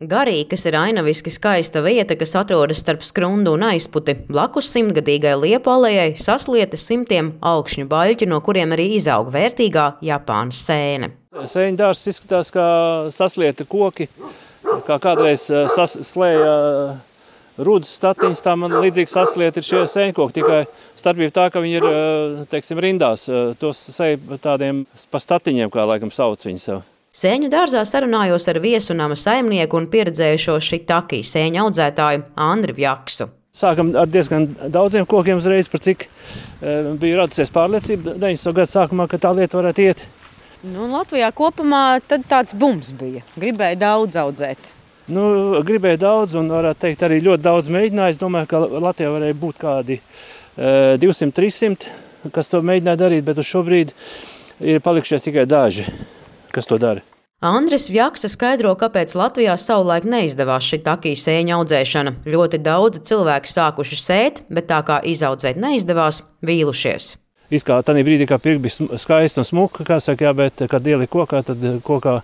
Garī, kas ir ainaviski skaista vieta, kas atrodas starp Skrundu un Aizputi, blakus simtgadīgai liepu alejai saslieta simtiem augšņu baļķu, no kuriem arī izaug vērtīgā Japānas sēne. Sēņu dārzs izskatās kā saslieta koki, kā kādreiz slēja rudus statiņas, tā man līdzīgi saslieta ir šie sēņkoki, tikai starpība tā, ka viņi ir, teiksim, rindās, tos sēja tādiem pa statiņiem, kā laikam sauc viņi sev. Sēņu dārzā sarunājos ar viesunama saimnieku un pieredzējušo Šitaki sēņu audzētāju Andri Vjaksu. Sākam ar diezgan daudziem kokiem uzreiz, par cik bija radusies pārliecība 90. gadu sākumā, ka tā lieta varētu iet. Latvijā kopumā tad tāds bums bija. Gribēja daudz audzēt. Gribēja daudz un varētu teikt arī ļoti daudz mēģināju. Es domāju, ka Latvijā varēja būt kādi 200-300, kas to mēģināja darīt, bet uz šobrīd ir palikušies tikai daži, kas to dara. Andris Vjaksa skaidro, kāpēc Latvijā savulaik neizdevās Šitaki sēņu audzēšana. Ļoti daudzi cilvēki sākuši sēt, bet tā kā izaudzēt neizdevās, vīlušies. It kā tādā brīdī, kā pirkt bija skaista un smuka, kā saka, bet, kad ielika kokā, tad kokā,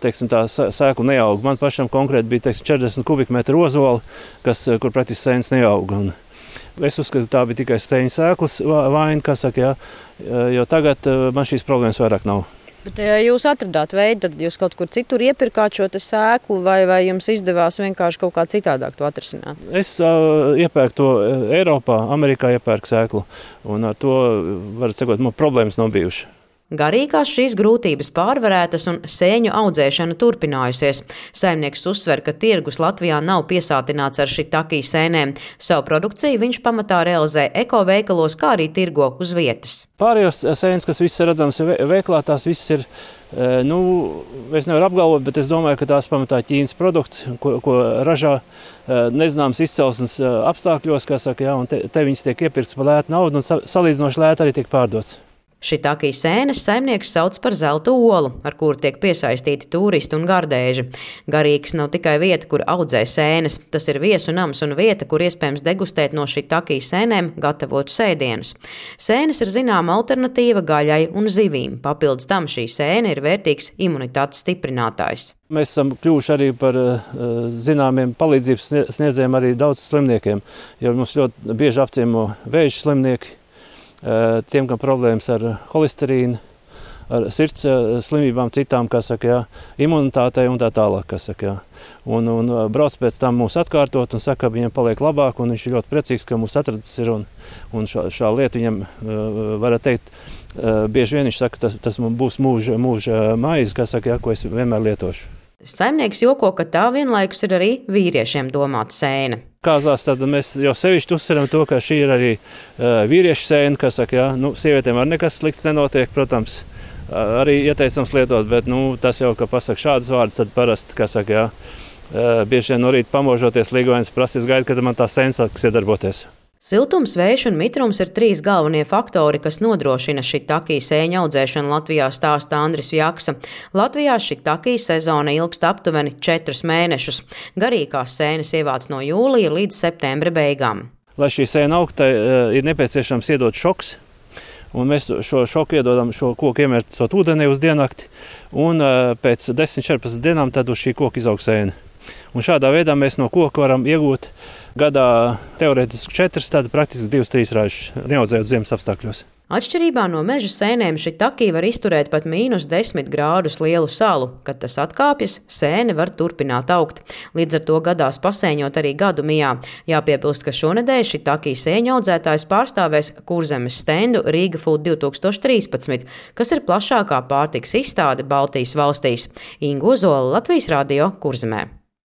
teiksim, tā sēkla neaug. Man pašam konkrēti bija, teiksim, 40 kubikmetru ozola, kur praktiski sēnes neauga. Es uzskatu, tā bija tikai sēņu sēklas vaina, kā saka, jo tagad man šīs problēmas vairāk nav. Bet ja jūs atradāt veidu, tad jūs kaut kur citur iepirkāt šo sēklu vai jums izdevās vienkārši kaut kā citādāk to atrisināt? Es iepērku to Eiropā, Amerikā iepērku sēklu, un ar to, varat sakot, man problēmas nav bijušas. Garīgās šīs grūtības pārvarētas un sēņu audzēšana turpinājusies. Saimnieks uzsver, ka tirgus Latvijā nav piesātināts ar Šitaki sēnēm. Savu produkciju viņš pamatā realizē ekoveikalos, kā arī tirgo uz vietas. Pārējos sēnes, kas viss ir redzams veiklā, tās viss ir, es nevaru apgalvot, bet es domāju, ka tās pamatā Ķīnas produkts, ko ražā nezināms izcelsmes apstākļos, kā saka, un te viņas tiek iepirkts par lētu naudu un salīdzinoši lēti arī tiek pārdots. Šitaki sēnes saimnieks sauc par zelta olu, ar kuru tiek piesaistīti turisti un gardēži. Garīgs nav tikai vieta, kur audzē sēnes. Tas ir viesu nams un vieta, kur iespējams degustēt no Šitaki sēnēm gatavotu sēdienus. Sēnes ir zināma alternatīva gaļai un zivīm. Papildus tam šī sēne ir vērtīgs imunitātes stiprinātājs. Mēs esam kļuvuši arī par zināmiem palīdzības sniedzējiem arī daudz slimniekiem, jo mums ļoti bieži apciemo vēža slimnieki. Tiem, kam problēmas ar holesterīnu, ar sirds slimībām, citām, kā saka, imunitātei un tā tālāk, kā saka. Un brauc pēc tam mūs atkārtot un saka, ka viņam paliek labāk, un viņš ir ļoti priecīgs, ka mūs atradis ir, un šā lieta viņam, varētu teikt, bieži vien viņš saka, tas būs mūža maize, kā saka, ko es vienmēr lietošu. Saimnieks joko, ka tā vienlaikus ir arī vīriešiem domāta sēne. Kāzās tad mēs jau sevišķi uzsveram to, ka šī ir arī vīriešu sēne, kas saka, sievietēm ar nekas slikts nenotiek, protams, arī ieteicams lietot, bet tas jau, ka pasaka šādas vārdas, tad parasti, kā saka, bieži vien no rīta pamožoties līgovainas prasīs gaida, kad man tā sēne sāks iedarboties. Siltums, vējš un mitrums ir 3 galvenie faktori, kas nodrošina Šitaki sēņu audzēšanu Latvijā, stāsta Andris Vjaksa. Latvijā Šitaki sezona ilgst aptuveni 4 mēnešus. Garīgās sēnes ievāc no jūlija līdz septembra beigām. Lai šī sēna augtu, ir nepieciešams iedot šoks. Un mēs šo šoku iedodam šo koku iemērcot ūdenī uz diennakti. Un pēc 10-14 dienām tad uz šī koka izaug sēne. Un šādā veidā mēs no koka varam iegūt gadā teorētiski 4, tad praktiski 2-3 ražas, neaudzējot ziemas apstākļos. Atšķirībā no meža sēnēm Šitaki var izturēt pat -10 grādus lielu salu. Kad tas atkāpjas, sēne var turpināt augt. Līdz ar to gadās pasēņot arī gadu mijā. Jāpiebilst, ka šonedēļ Šitaki sēņu audzētājs pārstāvēs Kurzemes stendu Riga Food 2013, kas ir plašākā pārtikas izstāde Baltijas valstīs. Inga Ozola, Latvijas radio, Kurzemē.